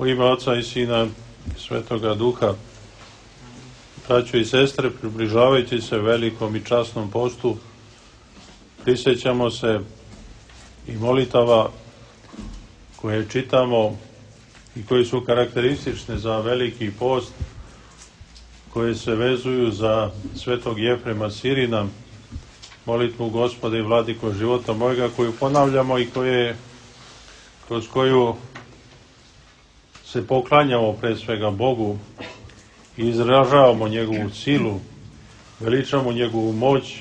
U ime Oca i Sina i Svetoga Duha, braćo i sestre, približavajući se velikom i časnom postu, prisjećamo se i molitava koje čitamo i koje su karakteristične za veliki post, koje se vezuju za svetog Jefrema Sirina, molitvu Gospode i Vladiko života mojega, koju ponavljamo i kroz koju se poklanjamo pre svega Bogu i izražavamo njegovu silu, veličamo njegovu moć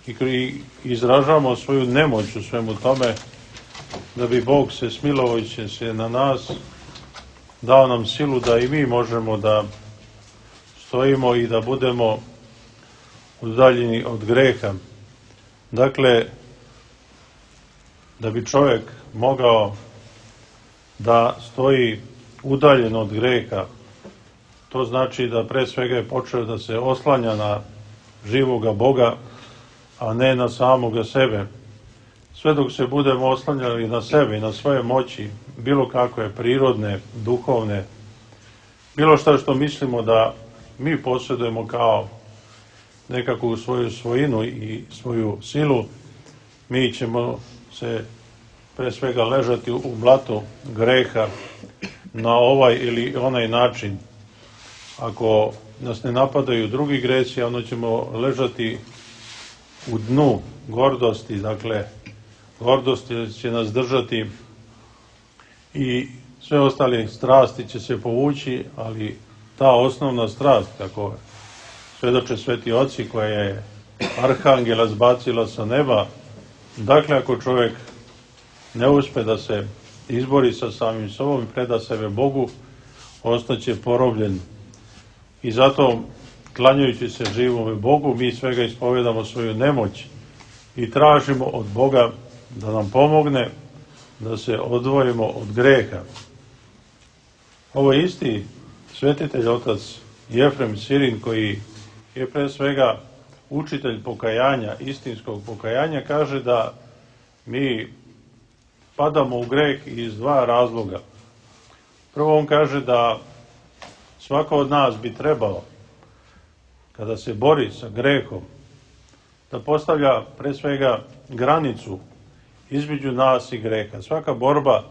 i izražavamo svoju nemoć u svemu tome, da bi Bog se smilovajući se na nas dao nam silu da i mi možemo da stojimo i da budemo udaljeni od greha. Dakle, da bi čovjek mogao da stoji udaljen od greha, to znači da pre svega je počeo da se oslanja na živoga Boga, a ne na samoga sebe. Sve dok se budemo oslanjali na sebe i na svoje moći, bilo kakve prirodne, duhovne, bilo što mislimo da mi posjedujemo kao nekakvu svoju svojinu i svoju silu, mi ćemo se pre svega ležati u blatu greha na ovaj ili onaj način. Ako nas ne napadaju drugi gresi, onda ćemo ležati u dnu gordosti, dakle, gordost će nas držati i sve ostale strasti će se povući, ali ta osnovna strast, kako svedoče sveti oci, koja je arhangela zbacila sa neba, dakle, ako čovjek ne uspe da se izbori sa samim sobom i preda sebe Bogu, ostaće porobljen. I zato, klanjajući se živome Bogu, mi svega ispovedamo svoju nemoć i tražimo od Boga da nam pomogne da se odvojimo od greha. Ovo je isti svetitelj otac Jefrem Sirin, koji je pre svega učitelj pokajanja, istinskog pokajanja, kaže da mi padamo u greh iz dva razloga. Prvo, on kaže da svako od nas bi trebalo, kada se bori sa grehom, da postavlja pre svega granicu između nas i greha. Svaka borba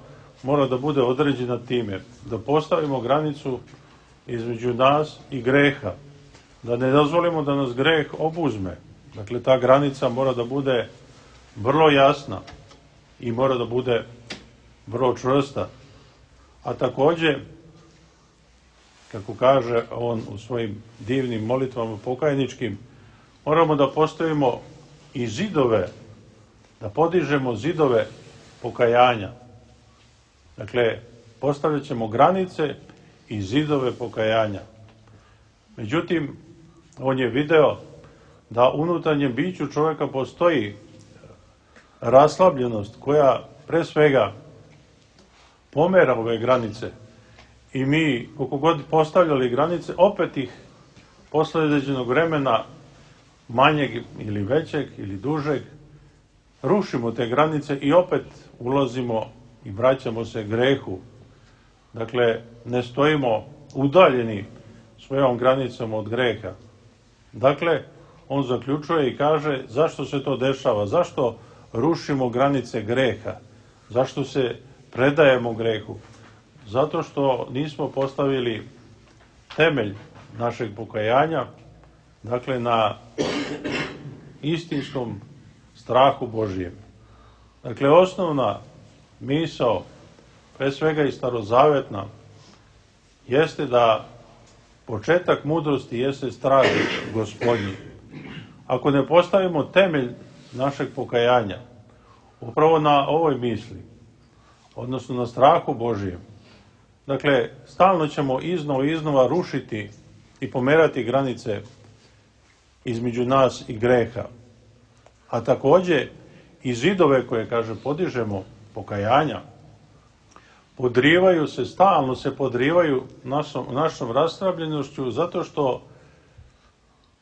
mora da bude određena time, da postavimo granicu između nas i greha, da ne dozvolimo da nas greh obuzme. Dakle, ta granica mora da bude vrlo jasna i mora da bude vrlo čvrsta. A takođe, kako kaže on u svojim divnim molitvama pokajničkim, moramo da postavimo i zidove, da podižemo zidove pokajanja. Dakle, postavljat ćemo granice i zidove pokajanja. Međutim, on je video da unutarnjem biću čovjeka postoji raslabljenost koja pre svega pomera ove granice i mi, koliko god postavljali granice, opet ih posle određenog vremena, manjeg ili većeg ili dužeg, rušimo te granice i opet ulazimo i vraćamo se grehu. Dakle, ne stojimo udaljeni svojom granicom od greha. Dakle, on zaključuje i kaže zašto se to dešava, zašto rušimo granice greha, zašto se predajemo grehu. Zato što nismo postavili temelj našeg pokajanja, dakle, na istinskom strahu Božijem. Dakle, osnovna misao, pre svega i starozavetna, jeste da početak mudrosti jeste strah Gospodnji. Ako ne postavimo temelj našeg pokajanja upravo na ovoj misli, odnosno na strahu Božijem, dakle, stalno ćemo iznova rušiti i pomerati granice između nas i greha. A takođe i zidove koje, kaže, podižemo pokajanja, stalno se podrivaju našom rastrabljenošću, zato što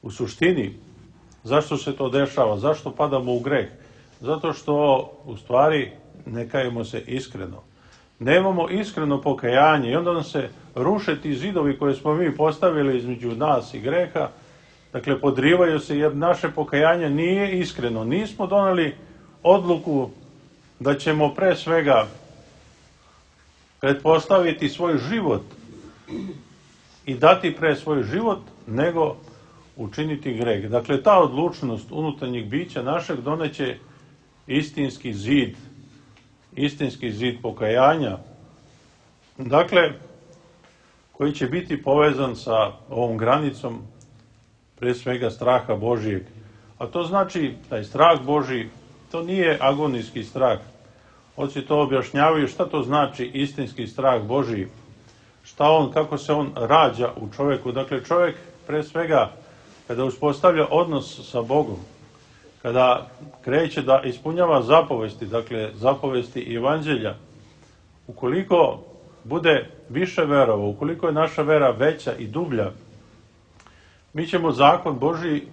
u suštini, zašto se to dešava, zašto padamo u greh? Zato što u stvari ne kajemo se iskreno. nemamo iskreno pokajanje i onda nam se ruše ti zidovi koje smo mi postavili između nas i greha, dakle podrivaju se jer naše pokajanje nije iskreno. Nismo doneli odluku da ćemo pre svega pretpostaviti svoj život i dati pre svoj život, nego učiniti greh. Dakle, ta odlučnost unutarnjeg bića našeg doneće istinski zid pokajanja, dakle, koji će biti povezan sa ovom granicom pre svega straha Božijeg. A to znači, taj strah Božiji, to nije agonijski strah. Oci to objašnjavaju šta to znači istinski strah Božiji, kako se on rađa u čovjeku. Dakle, čovjek pre svega kada uspostavlja odnos sa Bogom, kada kreće da ispunjava zapovesti, dakle zapovesti evanđelja, ukoliko bude više verovao, ukoliko je naša vera veća i dublja, mi ćemo zakon Božji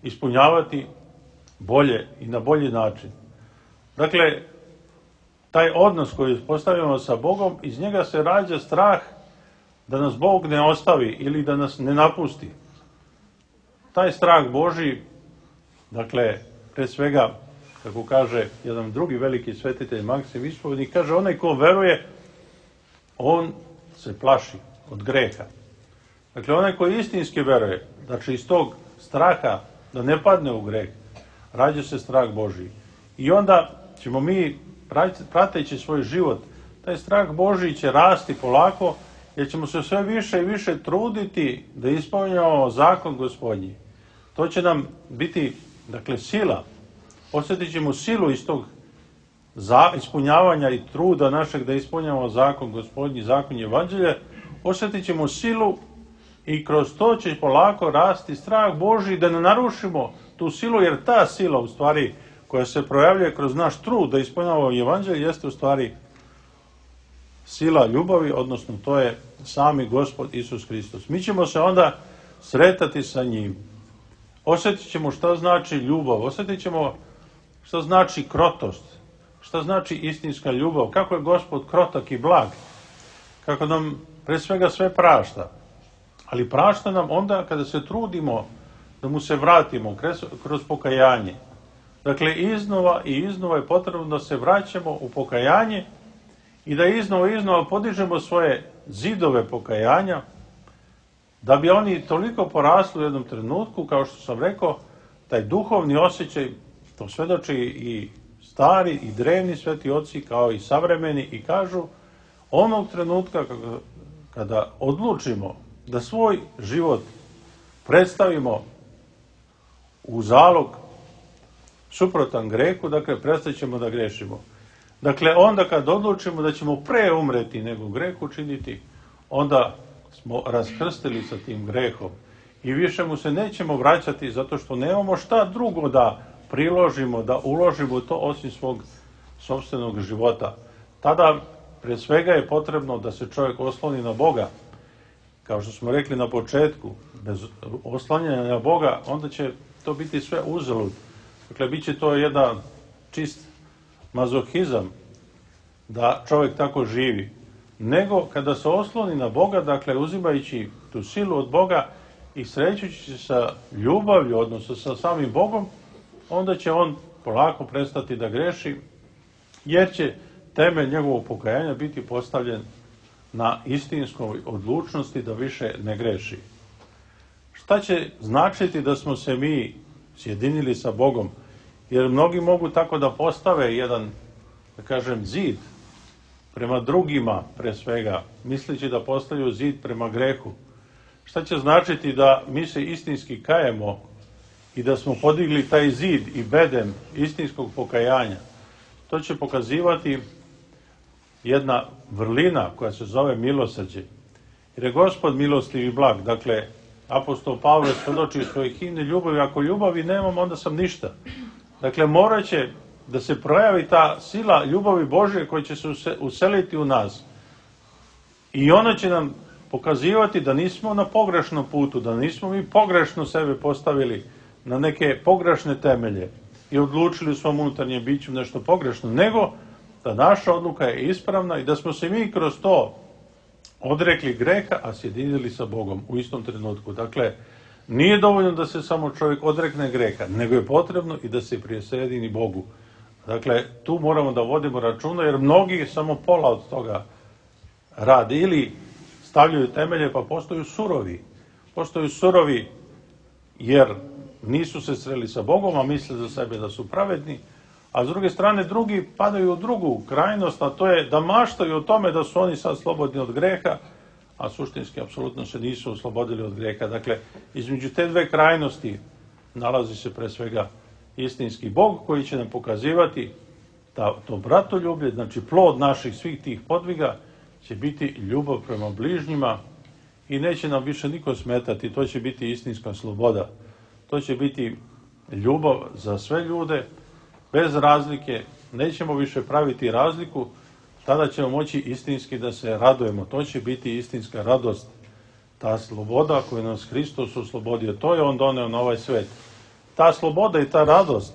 ispunjavati bolje i na bolji način. Dakle, taj odnos koji postavljamo sa Bogom, iz njega se rađa strah da nas Bog ne ostavi ili da nas ne napusti. Taj strah Božji, dakle, pre svega, kako kaže jedan drugi veliki svetitelj Maksim Ispovednik, kaže, onaj ko veruje, on se plaši od greha. Dakle, onaj koji istinski veruje, znači iz tog straha da ne padne u greh, rađa se strah Božji. I onda ćemo mi, prateći svoj život, taj strah Božji će rasti polako, jer ćemo se sve više i više truditi da ispunjavamo zakon Gospodnji. To će nam biti, dakle, sila. Osjetit ćemo silu iz tog ispunjavanja i truda našeg da ispunjavamo zakon Gospodnji, zakon evanđelja. Osjetit ćemo silu i kroz to će polako rasti strah Božji da ne narušimo tu silu, jer ta sila u stvari koja se projavljuje kroz naš trud da ispunjavamo evanđelje jeste u stvari sila ljubavi, odnosno to je sami Gospod Isus Hristos. Mi ćemo se onda sretati sa njim. Osjetit ćemo šta znači ljubav, osjetit ćemo šta znači krotost, šta znači istinska ljubav, kako je Gospod krotak i blag, kako nam pre svega sve prašta. Ali prašta nam onda kada se trudimo da mu se vratimo kroz pokajanje. Dakle, iznova i iznova je potrebno da se vraćamo u pokajanje i da iznova podižemo svoje zidove pokajanja, da bi oni toliko porasli u jednom trenutku, kao što sam rekao, taj duhovni osjećaj, to svedoči i stari i drevni sveti oci, kao i savremeni, i kažu, onog trenutka kada odlučimo da svoj život predstavimo u zalog suprotan grehu, dakle, prestat ćemo da grešimo. Dakle, onda kad odlučimo da ćemo pre umreti nego greh učiniti, onda smo raskrstili sa tim grehom i više mu se nećemo vraćati zato što nemamo šta drugo da priložimo, da uložimo to osim svog sopstvenog života. Tada pre svega je potrebno da se čovjek osloni na Boga. Kao što smo rekli na početku, bez oslanjanja na Boga, onda će to biti sve uzalud. Dakle, bit će to jedan čist mazohizam da čovjek tako živi. Nego kada se osloni na Boga, dakle uzimajući tu silu od Boga i srećući se sa ljubavlju, odnosno sa samim Bogom, onda će on polako prestati da greši, jer će temelj njegovog pokajanja biti postavljen na istinskoj odlučnosti da više ne greši. Šta će značiti da smo se mi sjedinili sa Bogom? Jer mnogi mogu tako da postave jedan, da kažem, zid prema drugima, pre svega, misleći da postavljaju zid prema grehu. Šta će značiti da mi se istinski kajemo i da smo podigli taj zid i bedem istinskog pokajanja? To će pokazivati jedna vrlina koja se zove milosrđe. Jer je Gospod milostiv i blag. Dakle, apostol Pavle svedoči svojih himne ljubavi. Ako ljubavi nemam, onda sam ništa. Dakle, morat će da se projavi ta sila ljubavi Božje koja će se useliti u nas. I ona će nam pokazivati da nismo na pogrešnom putu, da nismo mi pogrešno sebe postavili na neke pogrešne temelje i odlučili u svom unutarnjem biću nešto pogrešno, nego da naša odluka je ispravna i da smo se mi kroz to odrekli greha, a sjedinili sa Bogom u istom trenutku. Dakle, nije dovoljno da se samo čovjek odrekne greha, nego je potrebno i da se prisjedini Bogu. Dakle, tu moramo da vodimo računa, jer mnogi samo pola od toga rade ili stavljaju temelje pa postaju surovi. Postaju surovi jer nisu se sreli sa Bogom, a misle za sebe da su pravedni, a s druge strane drugi padaju u drugu krajnost, a to je da maštaju o tome da su oni sad slobodni od greha, a suštinski apsolutno se nisu oslobodili od greha. Dakle, između te dve krajnosti nalazi se pre svega istinski Bog koji će nam pokazivati da to bratoljublje, znači plod naših svih tih podviga, će biti ljubav prema bližnjima i neće nam više niko smetati. To će biti istinska sloboda. To će biti ljubav za sve ljude, bez razlike. Nećemo više praviti razliku, tada ćemo moći istinski da se radujemo. To će biti istinska radost. Ta sloboda koju nas Hristos oslobodio, to je on doneo na ovaj svet. Ta sloboda i ta radost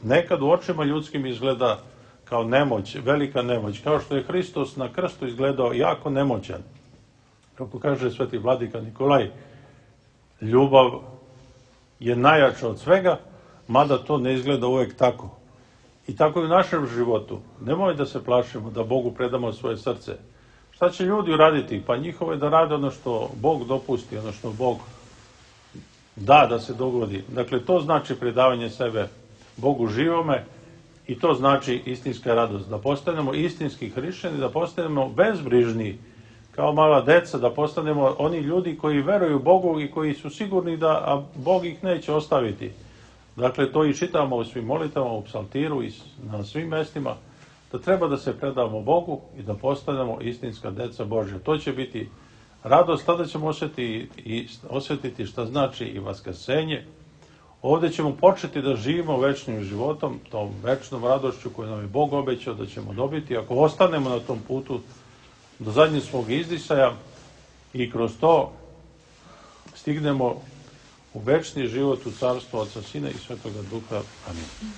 nekad u očima ljudskim izgleda kao nemoć, velika nemoć, kao što je Hristos na krstu izgledao jako nemoćan. Kako kaže sveti vladika Nikolaj, ljubav je najjača od svega, mada to ne izgleda uvek tako. I tako i u našem životu. Nemoj da se plašimo da Bogu predamo svoje srce. Šta će ljudi uraditi? Pa njihovo je da rade ono što Bog dopusti, ono što Bog da se dogodi. Dakle, to znači predavanje sebe Bogu živome i to znači istinska radost. Da postanemo istinski hrišćani, da postanemo bezbrižni, kao mala deca, da postanemo oni ljudi koji veruju Bogu i koji su sigurni da Bog ih neće ostaviti. Dakle, to i čitamo u svim molitama, u psaltiru i na svim mestima, da treba da se predamo Bogu i da postanemo istinska deca Božja. To će biti radost, tada ćemo osjetiti šta znači i vaskrsenje. Ovdje ćemo početi da živimo večnim životom, tom večnom radošću koju nam je Bog obećao da ćemo dobiti. Ako ostanemo na tom putu do zadnjeg svog izdisaja i kroz to stignemo u večni život u carstvo Oca, Sina i Svetoga Duha. Amin.